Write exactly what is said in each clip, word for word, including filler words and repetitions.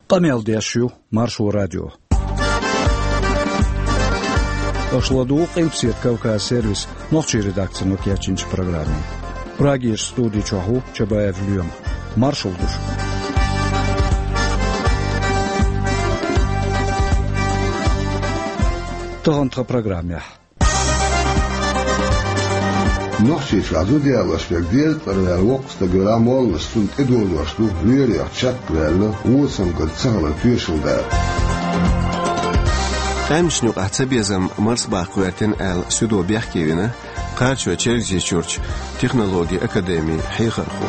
Къамел деш ю Маршо радио. Аша ладугӀу Къилбаседа Кавказ сервисан нохчийн редакцино кечйинчу программе. Прагерчу студи чохь ву Чабаев Лоьма. Маршалла ду шуьга. Тахана тхан программехь. Нохчийчохь зуда ялош верг дезткъа ваьлла воккха стаг велахь а, молланаш цунна тӀедожош ду, лоьрех чекхваьлла, вон цамгарца ца хилар тоьшалла дара. Къаьмнашна юкъахь цабезам марсабаккха гӀоьртина аьлла, суьдо бехке вина Кхарачой-Чергазийчуьрчу технологийн академин хьехархо.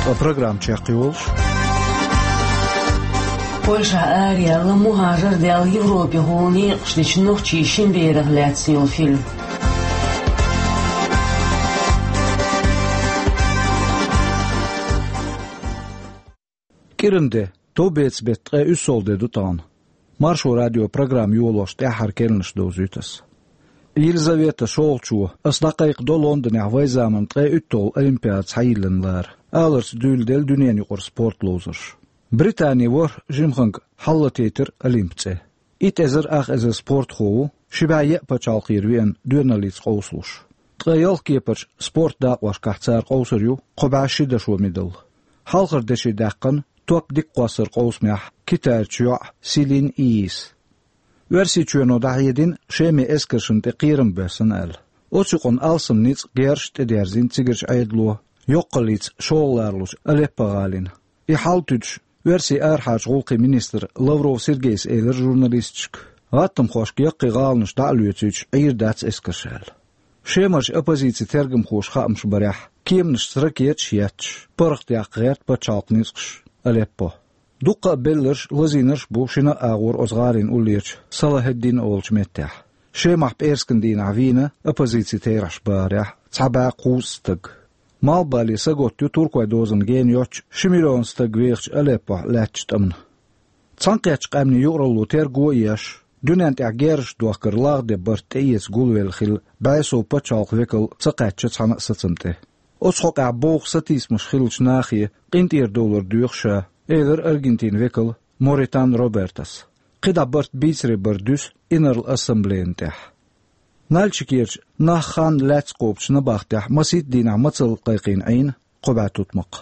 Ткъа программа чекхйолуш. Польшахь араяьлла, мухӀажар даьлла Европехула некъаш дечу нохчийн шина берах лаьцна йолу фильм. КӀиран де, товбеца беттан ткъе уьссалгӀа де ду тахана. Маршо радион программа йолош тӀаьххьара керланаш довзуьйту ас. Елизавета шолгӀачо, ас дӀакхайкхадо Лондонехь вайн заманан ткъе уьтталгӀа Олимпиада схьайиллина лара, аларца дуьйладелла дуьненан юкъара спорт ловзарш. Британин ворхӀ жимаханга хьалалатийтира Олимп цӀе. Итт эзар ах эзар спортхо ву, ши бӀе еа пачхьалкхера веана доьналлица къовсалуш. Ткъе ялх кепарчу спорт дакъошкахь цара къовсур ю кхо бӀе ши дашо медаль. Хьалхара деши даьккхина топ дика кхоссар къовсамехь Китайрчу йоӀ Селин Ийис. Оьрсийчоьно дӀахьедина Шеман эскаршна тӀе кхерам боьссина аьлла. Оцу юкъана алсам ницкъ герзаша тӀедерзийна цигарчу Ӏедало, йоккхаллица шолгӀа ларалучу Алеппо гӀалина. И хьал туьдуш, оьрсийн арахьарчу гӀуллакхийн министра Лавров Сергейс элира журналисташка, гӀаттамхошка яккхий гӀаланаш дӀа а лоьцуьйтуш, Ӏийр дац эскарш аьлла. Шемарчу оппозицин тергамхоша хаамаш барехь, кеманашца ракеташ а етташ, паргӀатдаккха гӀерта пачхьалкхан ницкъаш Алеппо. Дуккха а белларш а, лазийнарш а бу шина а агӀор оцу гӀалин уллерачу Салахеддин олучу меттехь. Шемахь пӀераскан дийнахь вийна оппозицин терахьаш бахарехь цхьа бӀе кхузткъа стаг. Малхбале сагатта ю туркойн дозанна гена йоццуш ши миллион стаг вехачу Алеппохь лаьттачу тӀамна. Цхьаьнакхеттачу къаьмнийн юкъаралло терго а еш, дуьнен тӀехь герзаш дохкар лагӀде барт тӀеэца гулвелла хилла бӀе сов пачхьалкхан векал ца кхаьчна цхьана а сацам тӀе. Оцу хьокъехь бовха сатийсамаш хиллачу нахе къинтӀера довлар доьху ша, элира Аргентинан векала Моритан Робертас. КхидӀа барт бийцаре бара дуьсу Инарла Ассамблейна тӀехь. Нальчикерчу нах хан лаьцна кхобучу набахтехь масийтта дийнахь мацалла кхайкхийна Ӏийна кхо бӀе тутмакх.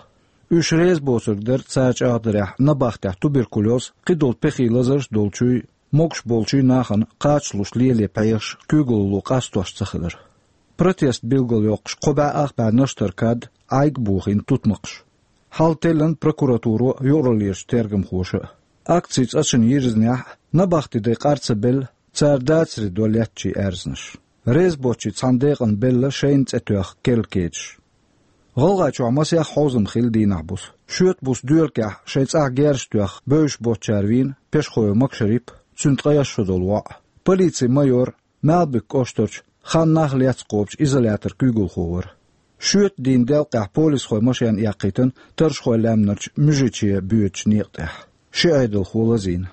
Уьш реза боцург дара цара чӀагӀдарехь набахтехь туберкулез, кхидолу пехий лазарш долчуй, могуш болчуй нахана кхачалуш лело пхьегӀаш куьйгалло къастош ца хилар. Протест билгалйоккхуш кхо бӀе ах бӀе наштар кад, Ӏайг а бохийна тутмакхаш. Хьал теллина прокуратуро а, юкъараллерчу тергамхоша а. Акцин цӀа чу йирзинехь а, набахтин дай къар ца белла, цара дацаре до леттачийн аьрзнаш. Реза боцчийн цхьана декъана белла шайна цӀе тоьхна керла кедаш. ГӀалгӀайчохь масех хьовзам хилла дийнахь буса. Шоьтан буса доьлакехь шайн цӀахь герзаш тоьхна бевзаш боцчара вийна Пешхоев Макшарип а, цуьнан ткъе исс шо долу воӀ. Полицин майор Малбик кӀоштарчу хан нах лаьцна кхобучу изолятор куьйгалхо вара. Шоьтан дийнан делкъехь полисхойн машен эккхийтина таррашхой лаьмнарчу муьжиче боьдучу некъа тӀехь. Ши Ӏедалхо лазийна.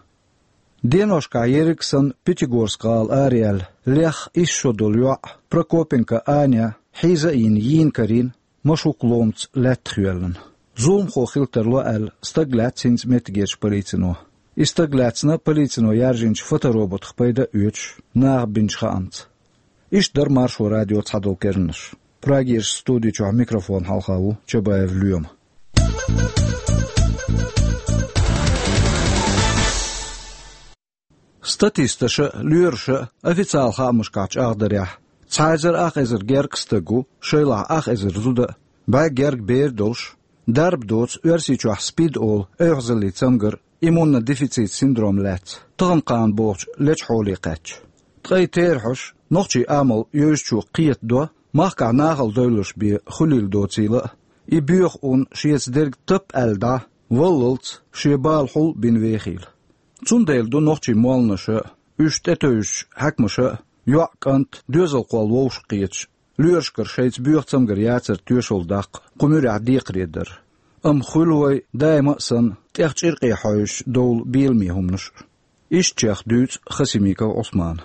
Деношкахь ерриг а санна Пятигорск-гӀала араяьлла, лех исс шо долу йоӀ Прокопенко Аня хьийза а йина, йийна карийна, машук ломаца лаьттах йоьллина. Зуламхо хила тарло аьлла, стаг лаьцна хӀинца меттигерчу полицино. И стаг лаьцна полицино яржийначу фотороботах пайда а оьцуш, наха бинчу хаамца. Иштта дара Маршо радион цхьадолу керланаш. Прагерчу студи чохь микрофон хьалха ву Чабаев Лоьма. Статисташа а, лоьраша а официалан хаамашкахь чӀагӀдарехь, цхьа эзар ах эзар гергга стаг ву, шайлахь ах эзар зуда а, бӀе гергга бер а долуш, дарба доцу, Оьрсийчохь СПИД олу эвхьазаллин цамгар, иммунодефицит синдром лаьцна, тахана-кхана бохучу лечу хьоле кхаьчна. Ткъе терахьаш, нохчийн амал йовзачо кхетадо, махкахь нахала девлларш бен хуьлийла доцийла а, и боьха ун шеца дерг тап аьлла дӀа, валлалц шен бала хьул а бина вехийла. Цундела ду нохчийн молланаша а, уьш тӀетевжачу хьаькамаша а йоӀ, кӀант, доьзалхой вовшахкхеташ, лоьрашкара шайца боьха цамгар яцар тоьшалла даккха кху муьрехь декхаре дар. Амма хуьлу вай, даима а санна, тӀех чӀиркъе хьаьвзаш довла беламе хӀуманаш а. Иштта чех дуьйцу Хасимиков Ӏусмана.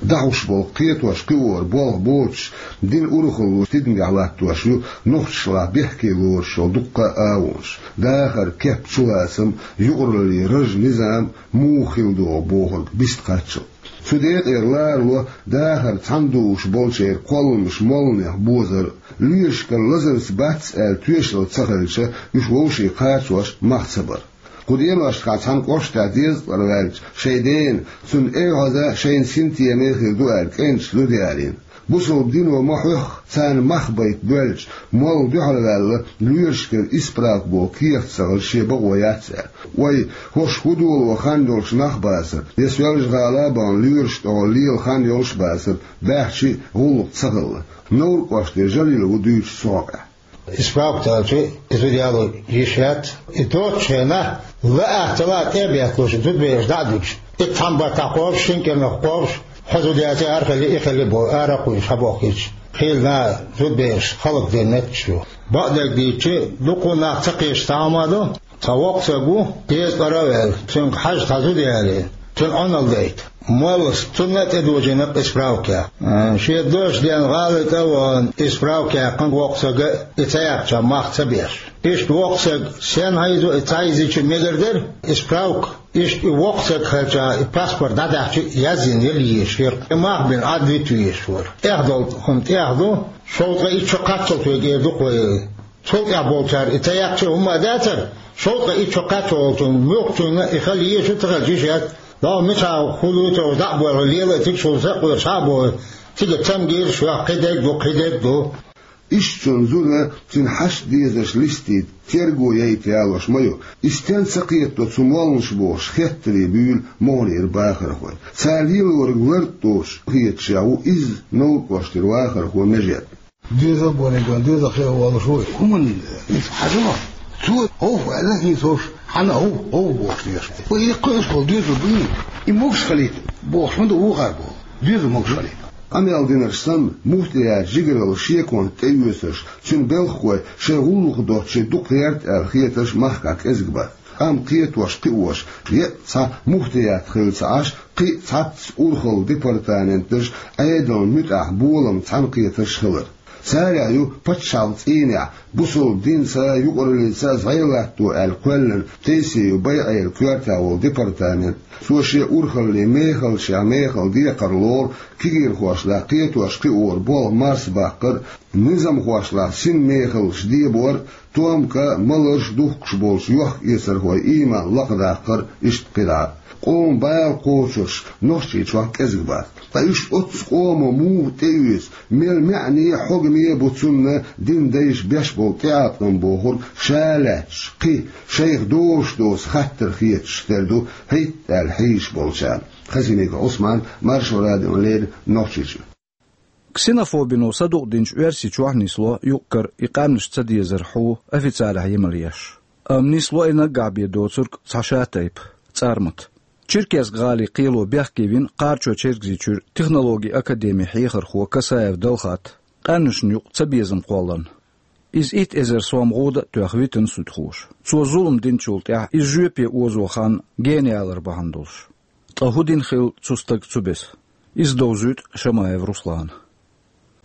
ДӀахьош болу кхетош-кхиоран болх боцуш, динан урхалло тидамехь латтош ю нохчашлахь бехке лоруш йолу дуккха а агӀонаш: дахар, кеп, чулацам, юкъараллин раж, низам муха хила догӀу бохург вист кхаччалц. Цу декъера ларало дахар цхьаьна дууш болчеран кхолламаш молланех бозар а, лоьрашкара лазарца бац аьлла тоьшалла ца хилча, уьш вовшийн кхачош мах ца бар. Кху деношкахь цхьана кӀоштахь дезткъа кӀира ваьлча, шайн дена, цунна эвхьаза шайна синтеме хир ду аьлла, кӀенташа зуда ялийна. Бусалба дино ма хьоьхху, царна мах байта боьлча, молла дуьхьалваьлла, лоьрашкара исправка боху кехат ца хилча, шен бакъо яц аьлла. Вай, хӀорш хӀун доло хан йолуш нах бацара, я Соьлжа-ГӀала а бахана лоьраш тӀехула лела хан йолуш бацара, баьхча а гӀуллакх ца хилла. Новр-кӀоштера Жалил ву дуьйцуш цу хьокъехь. Исправка ца хилча, и зуда яло йиш яц. И доцучу хенахь, лаахь ца лаахь тӀе а бетталуш, зудабераш дӀа а дуьтуш, итт цхьана баттахь кхобуш, шина кӀирнах кхобуш, хьо зуда яций, ара хили, и хили боху, ара а кхуьйсуш, схьабохкуьйтуш. Хийла наха зудабераш хӀаллакдина меттигаш ю. Бакъдерг дийцича, дуккха а нах ца кхеташ цхьа хӀума ду. Цхьа воккха стаг ву, дезткъа кӀира а ваьлла, цуьнга хьажа цхьа зуда ялийна, цуьнан Ӏуналла дайта. Моллас цунна а тӀедожийна исправка яьккха. Шен доьшуш ден гӀала тӀе а вахана, исправка яьккхина воккха стага, и ца яьккхича мах ца беш. Иштта воккха стаг сенна хьийзо, и ца хьийзича мегар дара, исправка. Иштта и воккха стаг хилча, и паспорт дӀадахьча, язйина яла езаш яра. И мах бина Ӏад вита везаш вара. ТӀехдолу хӀума тӀех ду, шовзткъе итт шо кхаччалц вега эр ду-кх вай. Цул тӀаьхьа болчара и ца яьккхича хӀумма а дацара, шовзткъе итт шо кхаччалц муьлххачунна и хила езаш ю, ца хилча йиш яц. ДӀо мичахь хӀун луьйцу, дӀа а боьлху, лела а тигаш ву сакъоьруш схьа а боху, цига цамгийраш йохку, кхидерг ду, кхидерг ду. Иштта цунна зуда, цуьнан хьашт дезарш листийта, терго яйта ялош ма ю. И стенна ца кхетадо цу молланаша бохуш, хеттаре буьйлу могӀанера бахархой. Цара лелориг лард доцуш хеташ ву изза Новр-кӀоштара вахархо Межет. Доьзал бохург, доьзал хила волуш ву. ХӀуманна иза хьажа ма. Цо хӀовх аьлла, хӀинца хӀорш хьанна хӀовх, хӀовх бохуш деш. Вай и кхуьуш болу доьзал дуй? И могуш хилийта бохуш ма ду вукхара боху. Доьзал могуш хилийта. Къамел динарш санна, муфтиятан жигаралла шеконца тӀеоьцурш, цуьнан белхахой шайн гӀуллакх доцчу дукха гӀерта аьлла хетарш махкахь кӀезиг бац. Амма кхетош-кхиош, еъ цхьа муфтият хилла ца Ӏаш, кхин а цхьацца урхаллин департаменташ, Ӏедалан муьтӀахь болам цхьаьнакхетарш хилар. Царех ю пачхьалкхан цӀийнехь, бусалба динца а, юкъараллица а зӀе латто аьлла кхоьллина Тейсиев Байъеран коьртехь волу департамент. Цо шен урхаллин мехаллашкахь мехала декхар лору, кегийрхошлахь кхетош-кхиоран болх марсабаккхар а, низамхошлахь синмехаллаш дебор а, томка а, маларш а духкуш болчу йохка-эцархойн ийман лакхадаккхар а, иштта кхидӀа а. Къоман бала кхочурш Нохчийчохь кӀезиг бац. Ткъа уьш оццу къоман муха тӀеоьцу, мел маьӀне а, хьогаме а бу цунна динан дайша беш болу тӀеӀаткъам бохург ша лаьтташ, кхин шайх доцуш доцу хаттар хеташ тера ду хӀетта аьлла хьийзаш болчарна. Хасимиков Ӏусман, Маршо радиона леррина, Нохчийчоь. Ксенофобино садукъдинчу Оьрсийчохь нисло юкъ-кара и къаьмнаш ца дезар хьу официалехь емал еш. Амма нисло и наггахь бен доцург цхьа ша тайпа, цӀармат. Черкесск-гӀалин кхело бехке вина Кхарачой-Чергазийчуьра технологийн академин хьехархо Касаев Далхат къаьмнашна юкъа цабезам кхолларна. Иза итт эзар сом гӀуда а тоьхна витина суьдхоша. Цо зулам динчул тӀаьхьа иза жоьпе озо хан гена ялар бахьана долуш. Ткъа хӀун дина хилла цу стага цу беса? Иза довзуьйту Шамаев Руслана.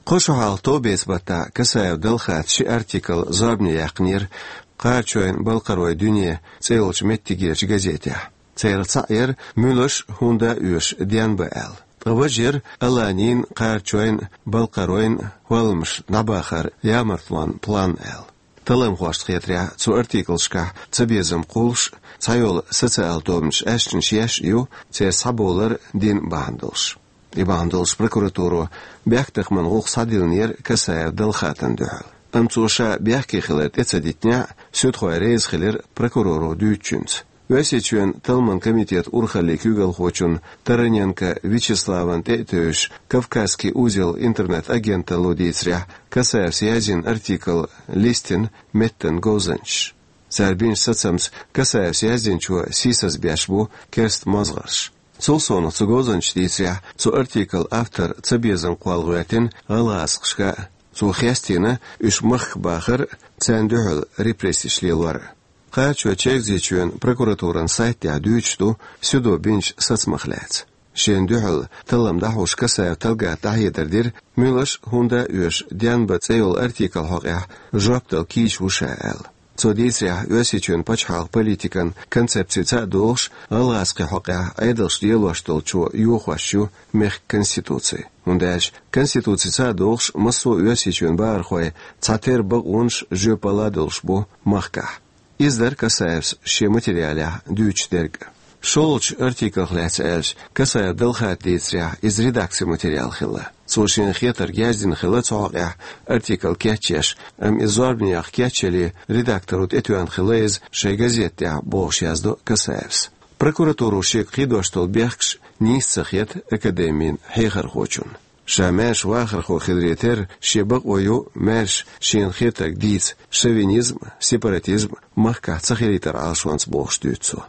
Кхо шо хьалха товбеца баттахь Касаев Далхата ши артикл зорбане яьккхинера «Кхарачойн балкхаройн дуьне» цӀе йолчу меттигерчу газетехь. Царах цхьаъ яра «Муьлш а, хӀунда а оьшу, денбан» аьлла. Ткъа важа яра «Аланийн, кхарачойн, балкхаройн хӀолламаш дӀабахаран ямартлонан план» аьлла. Талламхошна хетарехь, цу артиклашкахь цабезам кхуллуш а, цхьайолу социал тобанаш аьшнаш еш а ю, церан схьабовлар дин бахьана долуш. И бахьана долуш прокуратуро бехктакхаман гӀуллакх схьадиллинера Касаев Далхатана дуьхьал. Амма цо ша бехке хилар тӀе ца дитинехь а, суьдхой реза хилира прокуроро дуьйцучуьнца. Оьрсийчоьнан талламан комитетан урхаллин куьйгалхочун Тараненко Вячеславан тӀе а тевжаш, «Кавказский узел» интернет-агенталло дийцарехь, Касаевс язйина артикл листина меттан говзанчаша. Цара бинчу сацамца Касаевс яздинчо сийсаз беш бу керста мозгӀарш. Цул совнаха цу говзанчаша дийцарехь, цу артиклан автор цабезам кхолла гӀоьртина гӀалгӀазкхашка а, цо хестийна уьш махка бахар а, царна дуьхьал репрессеш лелор а. Кхарачой-Чергазийчоьнан прокуратуран сайтехь дуьйцуш ду суьдо бинчу сацамах лаьцна. Шена дуьхьал таллам дӀахьош Касаев Талгата дӀахьедар дира, муьлш а, хӀунда а оьшу «Денба» цӀе йолу артикл хьокъехь жоп дала кийча ву ша аьлла. Цо дийцарехь, Оьрсийчоьнан пачхьалкхан политикан концепцица а догӀуш, гӀалгӀазкхийн хьокъехь Ӏедалш лелош долчо йохош ю мехкан конституци. ХӀунда аьлча конституцица а догӀуш, массо а Оьрсийчоьнан бахархой цхьатерра бакъонаш, жоьпалла долуш бу махкахь. Иза дара Касаевс шен материалехь дуьйцуш дерг а. ШолгӀачу артиклах лаьцна аьлча, Касаев Далхата дийцарехь, иза редакцин материал хилла. Цо шена хетарг яздина хилла цу хьокъехь артикл кечъеш, амма иза зорбанехь кечъеле, редакторо тӀетоьхна хилла иза шайн газета тӀехь, бохуш яздо Касаевс. Прокуратуро шега кхийдош долу бехкаш нийса ца хета академин хьехархочунна. Ша маьрша вахархо хиларе терра, шен бакъо ю маьрша шена хетарг дийца, шовинизм, сепаратизм махкахь ца хилийтар Ӏалашонца, бохуш дуьйцу цо.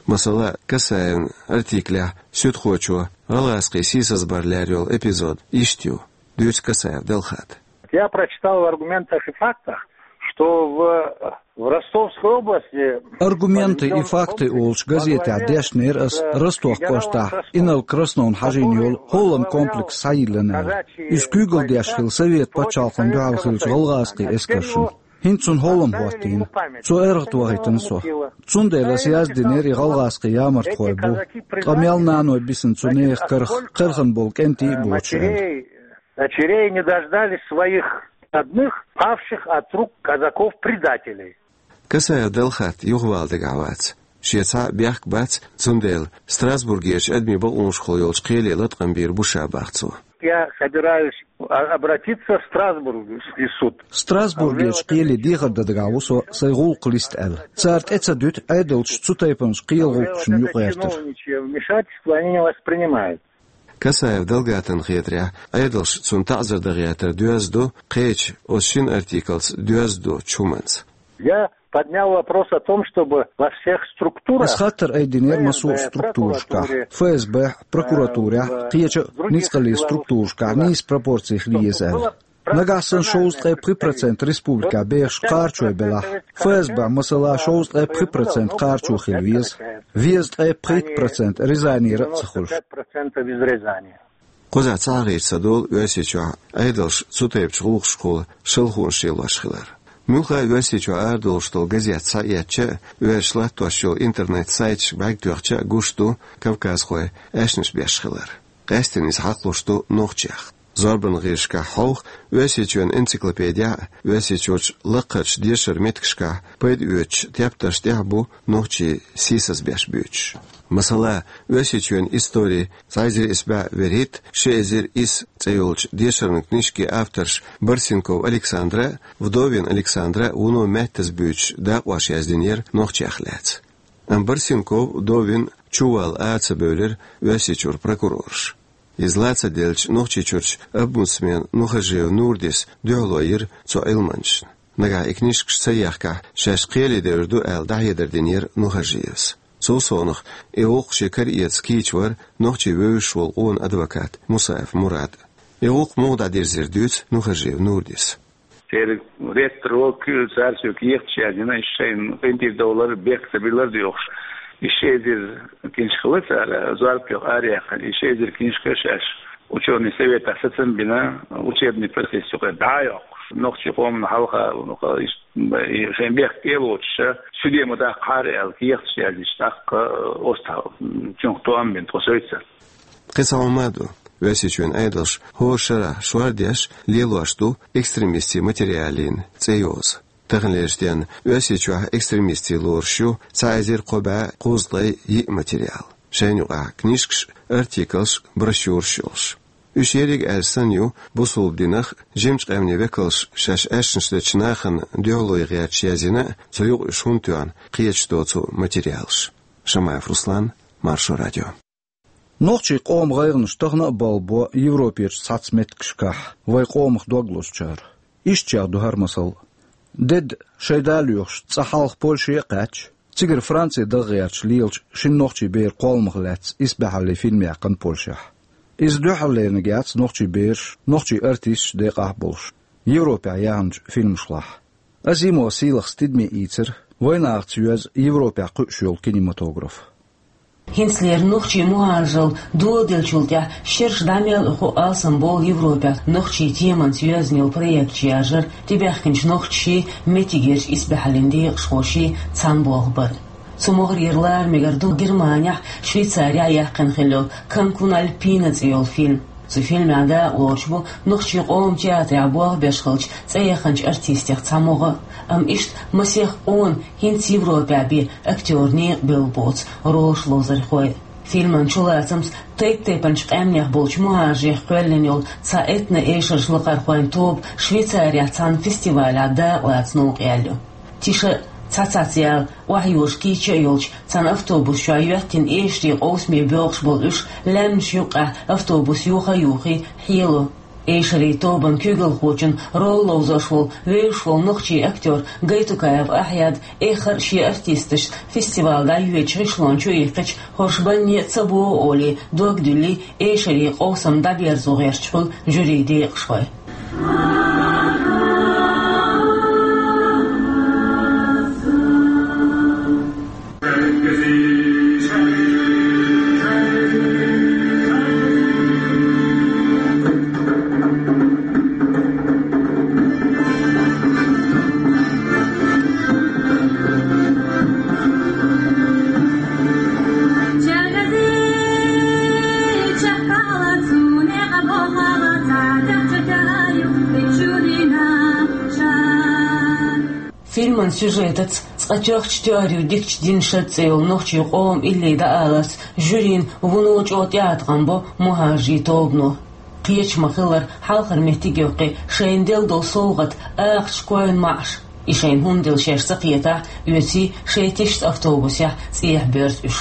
Масала, Касаевн артиклехь суьдхочо гӀалгӀазкхийн сийсазбар лерйолу эпизод иштта ю, дуьйцу Касаев Далхата. Я прочитал в «Аргументах и фактах», что в, в Ростовской области «Аргументы и факты» олучу газетехь дешнера ас Ростов кӀоштахь Инал Красновна хьажийна йолу хӀоллам комплекс схьайиллина аьлла. Иза куьйгалла деш хилла Совет пачхьалкхана дуьхьал хиллачу гӀалгӀазкхийн эскаршна. ХӀинца цунна хӀоллам хӀоттийна. Цо аргӀатан вахийтина со. Цундела ас яздинера и гӀалгӀазкхийн ямартхой бу. Ткъа мел наной бисна цу нехан карах, кхелхина болу кӀентий а боцуш аьлла. Дочерей не дождались своих родных, павших от рук казаков-предателей. Касаев Далхат юхавала дагахь вац. Шен цхьа а бехк бац, цундела Страсбургерчу адамийн бакъонашкахула йолчу кхеле латкъам бийр бу ша, бах цо. Я собираюсь а-, обратиться в Страсбургский суд. Страсбургерчу кхеле дехар дан дагахь ву со, сайн гӀуллакх листа аьлла. Цара тӀе ца дуьту Ӏедалша цу тайпанчу кхелан гӀуллакхашна юкъагӀертар. Чиновничье вмешательство они не воспринимают. Касаев Далгатана хетарехь, Ӏедалша цунна таӀзар дан гӀертар доьзна ду кхечу, оцу шина артиклца доьзна доцучу хӀуманца. Я поднял вопрос о том, чтобы во всех структурах, ас хаттар айдинера массо а структурашкахь, ФСБ-хь, прокуратурехь, кхечу а ницкъаллин структурашкахь нийса пропорци хила еза аьлла. Нагахь санна шовзткъе пхи процент республикехь бехаш кхарачой белахь, ФСБ-хь, масала, шовзткъе пхи процент кхарачо хила веза. Веза ткъе пхийтта процент Рязанера а ца хуьлуш. Кхузахь ца хьахийча ца долу Оьрсийчохь Ӏедалша цу тайпачу гӀуллакхашкахула шалхонаш лелош хилар. Муьлхха а Оьрсийчохь арадолуш долу газет схьаэцча а, оьрсаша латтош йолу интернет-сайташка бӀаьрг тоьхча а гуш ду кавказхой аьшнаш беш хилар. Къаьсттина иза хьакхалуш ду нохчех. Зорбанан гӀирсашкахь хьовха, Оьрсийчоьнан энциклопедехь а, Оьрсийчуьрчу лакхарчу дешаран меттигашкахь пайда оьцучу тептарш тӀехь а бу нохчийн сийсаз беш буьйцуш. Масала, Оьрсийчоьнан истори цхьа эзар исс бӀе вуьрхӀитта, ши эзар исс цӀе йолчу дешаран книжкин авторш Барсенков Александра а, Вдовин Александра а вуно меттаза буьйцуш дакъош яздинера нохчех лаьцна. Амма Барсенков, Вдовин чувалла ара ца бевлира Оьрсийчуьра прокурорша. Иза ла ца делча, Нохчийчуьрчу омбудсмен Нухажиев Нурдис дуьхьало йира цу Ӏилманчашна. Нагахь и книжкаш ца ехкахь, шаьш кхеле девр ду аьлла, дӀахьедар динера Нухажиевс. Цул совнаха, и гӀуллакх шен кара эца кийча вара нохчийн вевзаш волу къона адвокат Мусаев Мурад. И гӀуллакх муха дӀадирзира, дуьйцу Нухажиев Нурдис. Церан ректор волчу, цара соьга кехаташ яздина, шайна къинтӀера довлар, бехк ца биллар доьхуш. И ши эзар книжка хилла цара зорбане араяьккхина. И ши эзар книжка шаьш учёный советехь сацам бина, учебный процесс юкъе дӀа а йоккхуш, нохчийн къомана хьалха, ну, ха-, иш-, и шайн бехк тӀе а лоцуш, суьде ма даккхахьара аьлла, кехаташ яздича, тӀаккха, э, оцу тӀа, цунах тоам бина тхо сойца. Кхин цхьа хӀума а ду. Оьрсийчоьнан Ӏедалша хӀора шарахь шордеш лелош ду экстремистийн материалийн цӀе йоза. Таханлерчу денна Оьрсийчохь экстремистийн лоруш ю цхьа эзар кхо бӀе кхузткъе йиъ материал. Шайна юкъахь книжкаш, артиклаш, брошюраш йолуш. Уьш ерриг а аьлча санна ю бусулба динах, жимачу къаьмнийн векалша шаьш аьшнаш дечу нахана дуьхьало ян гӀерташ язйина а, цу юкъа уьш хӀунда тоьхна кхеташ доцу материалаш. Шамаев Руслан, Маршо радио. Нохчийн къоман гӀайгӀанаш тахана а балбо Европерчу цхьацца меттигашкахь вайн къомах дог лозучара. Ишттачех ду хӀара масал. Деда, шайн да лоьхуш, цкъа хьалха Польше а кхаьчча, цигара Франце даха гӀерташ лелачу шина нохчийн беран кхолламах лаьцна исбаьхьаллин фильм яьккхина Польшехь. Иза дуьххьарлерниг яц нохчийн бераш, нохчийн артисташ декъахь а болуш, Европехь яьхначу фильмашлахь. Азимовн сийлахьца тидаме ийцира вайнахаца йоьзна Европехь кхуьуш йолу кинематограф. ХӀинцалера нохчийн мухӀажарал доладеллачул тӀаьхьа шераш дӀа мел а ху алсам болу Европехь нохчийн теманца йоьзна йолу проект шаьржара тӀебаьхкинчу нохчаший, меттигерчу исбаьхьаллин декъашхоший цхьаьна болх бар. Цу могӀарера лара мегар ду Германехь, Швейцарехь яьккхина хилла йолу «Канкун Альпина» цӀе йолу фильм. Цу фильмехь дакъалоцуш бу нохчийн къоман театрехь болх беш хиллачу цӀе яханчу артистех цхьа могӀа, амма иштта масех къона хӀинца Европехь бен актёрийн некъа бевлла боцу ролаш ловзархой. Фильман чулацамца тайп-тайпанчу къаьмнех болчу мухӀажарех кхоьллина йолу цхьа этно-эшарш лакхархойн тоба Швейцарехь цхьана фестивалехь дакъалаца новкъа яьлла ю. Тиша цхьа-цхьацца яла охьайожа кийча а йолчу цхьана автобус чохь йоьттина эшарийн къовсаме боьлхуш болу уьш лаьмнаш юккъехь автобус йохий-йохий хьело. Эшарийн тобан куьйгалхочун роль ловзош волу вевзаш волу нохчийн актёр Гайтукаев Ахьяд эххар а шен артисташца фестиваль дӀайоьдучу гӀишлонна чу иккхича, хӀорш банне а ца богӀу олий, дог дуьллий, эшарийн къовсам дӀаберзо гӀерташ хуьлу жюрин декъашхой. Фильман сюжетаца цкъа тоьхча тоьар ю дикачу динан шад цӀе йолу нохчийн къоман илли дӀааларца жюрин вуно чӀогӀа тӀеӀаткъам бо мухӀажарийн тобано. Кхеташ ма-хиллара, хьалхара меттиг йоккхий шайна делла долу совгӀат, акхачу койн маӀаш. И шайна хӀунда делла шаьш ца кхетахь, оьций шайн тишца автобусехь цӀехьа боьрзу уьш.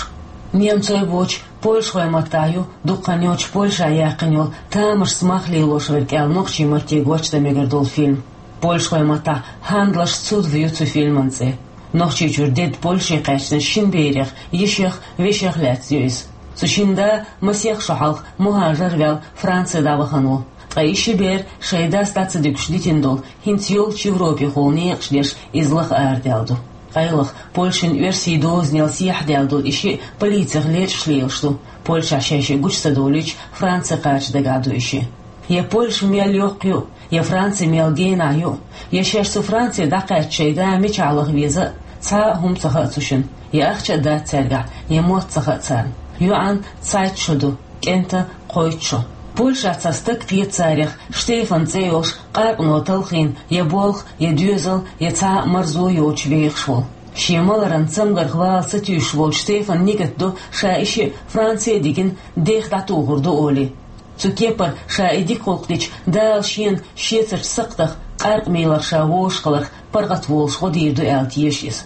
Немцой боцчу, польшахойн маттахь ю, дуккха хан йоццуш Польшехь яьккхина йолу «Тамашца мах лелош верг» аьлла, нохчийн матте гочдан мегар долу фильм. Польшахойн маттахь «Хьандлаш цудов» ю цу фильман цӀе. Нохчийчуьра дедда Польше кхаьчначу шина берех, йишех, вешех лаьцна ю иза. Цу шина да масех шо хьалха мухӀажар а ваьлла Франце дӀавахана ву. Ткъа и ши бер шайн дас дӀа ца дуьгуш дитина долу, хӀинца йолчу Европехула некъаш деш, иза лаха арадаьлла ду. Къайлаха, Польшин оьрсийн дозанел сехьадаьлла долу и шиъ полицих лечкъаш лелаш ду. Польшехь шаьш гучу ца довлийча, Франце кхача дагахь ду и шиъ. Я Польша мел йоккха ю, я Франце мел генахь ю, я шаьш цу Франце дӀакхаьчча шайн да мичахь лаха веза а, цхьа а хӀума ца хаьа цу шина, я ахча а дац цаьргахь, я мотт ца хаьа царна. ЙоӀан цхьайтта шо ду, кӀентан кхойтта шо. Польшахь цхьа стаг кхета царех, Штефан цӀе йолуш, къаркъано талхийна, я болх, я доьзал, я цхьа а марзо йоцуш вехаш волу. Шен маларан цамгарх вала ца туьйсуш волчу Штефанан нигат ду, ша и шиъ Франце а дигна, дех дӀатухур ду олий. Цу кепара, ша и дика гӀуллакх дича, Дала шена шеца сакхтах къаркъа мелар ша вовшахкхетарх паргӀат волуш гӀо дийр ду аьлла теша иза.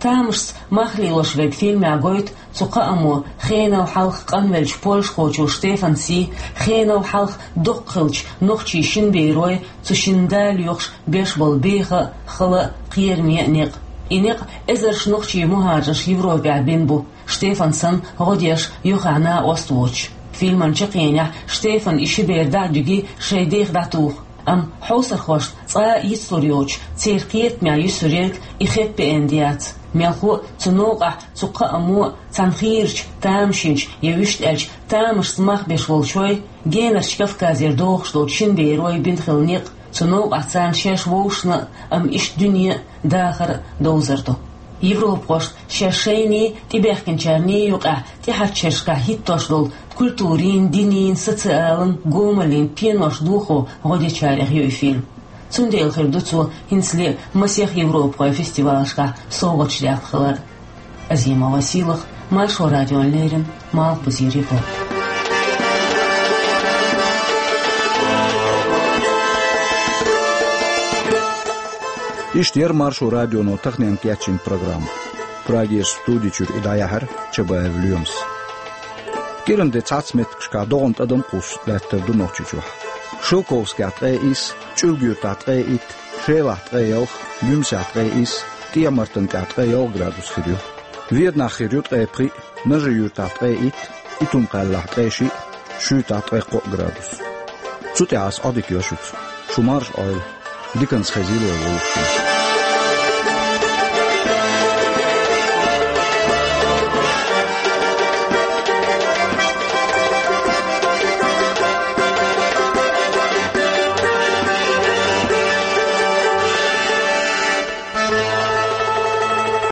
«Тамашца мах лелош верг» фильмехь гойту цу кхаамо хенал хьалха къанвеллачу польшахочо Штефанан сий, хенал хьалха доккха хиллачу нохчийн шина берой, цу шина да лоьхуш беш болу беха а, хала а, кхераме а некъ. И некъ эзарш нохчийн мухӀажарш Европехь бина бу, Штефан санна гӀо деш юххехь накъост воцуш. Фильман чаккхенехь Штефан и ши бер дӀа а дуьгий, шайн дех дӀатуху. Амма хьовсархошна цкъа а йицлур йоцуш, церан кхетамехь юьсур ерг и хэппи-энд яц. Мелхо а, цу новкъахь цу кхаамо а цхьана хийрачу, тамашийначу, я вуьшта аьлча, тамашца мах беш волчой, генарчу Кавказера дохуш долчу шина берой бина хилла некъ, цу новкъахь царна шаьш вовшашна а, амма иштта дуьне а, дахар а довзар ду. Европахошна шаьш шайний, тӀебаьхкинчарний юкъахь тӀехьарчу шерашкахь хӀиттош долу культурин, динин, социалан, гомаллин пенош дохо гӀо дечарех ю и фильм. Цундела хир ду цо хӀинцале а масех европахойн фестивалашкахь совгӀаташ дехна хилар. Азимова Сийлаха, Маршо радиона леррина, Малхбузера Европа. Иштта яра Маршо радионо таханенна кечйина программа. Прагерчу студи чуьра и дӀаяьхьира Чабаев Лоьмас. КӀиран де цхьацца меттигашкахь догӀан тӀадам а кхуссуш лаьттар ду Нохчийчохь. Шелковскехь ткъе исс, ЧӀуьлга-Юьртахь ткъе итт, Шелахь ткъе ялх, Гуьмсехь ткъе исс, ТӀехьа-Мартанкахь ткъе ялх градус хир ю. Веданахь хир ю ткъе пхиъ, Нажи-Юьртахь ткъе итт, Итум-Кхаьллахь ткъе шиъ, Шуьйтахь ткъе кхоъ градус. Цу тӀехь ас Ӏодика йо шуьца. Шу марша Ӏойла. Диканца хезийла вай вовшашна.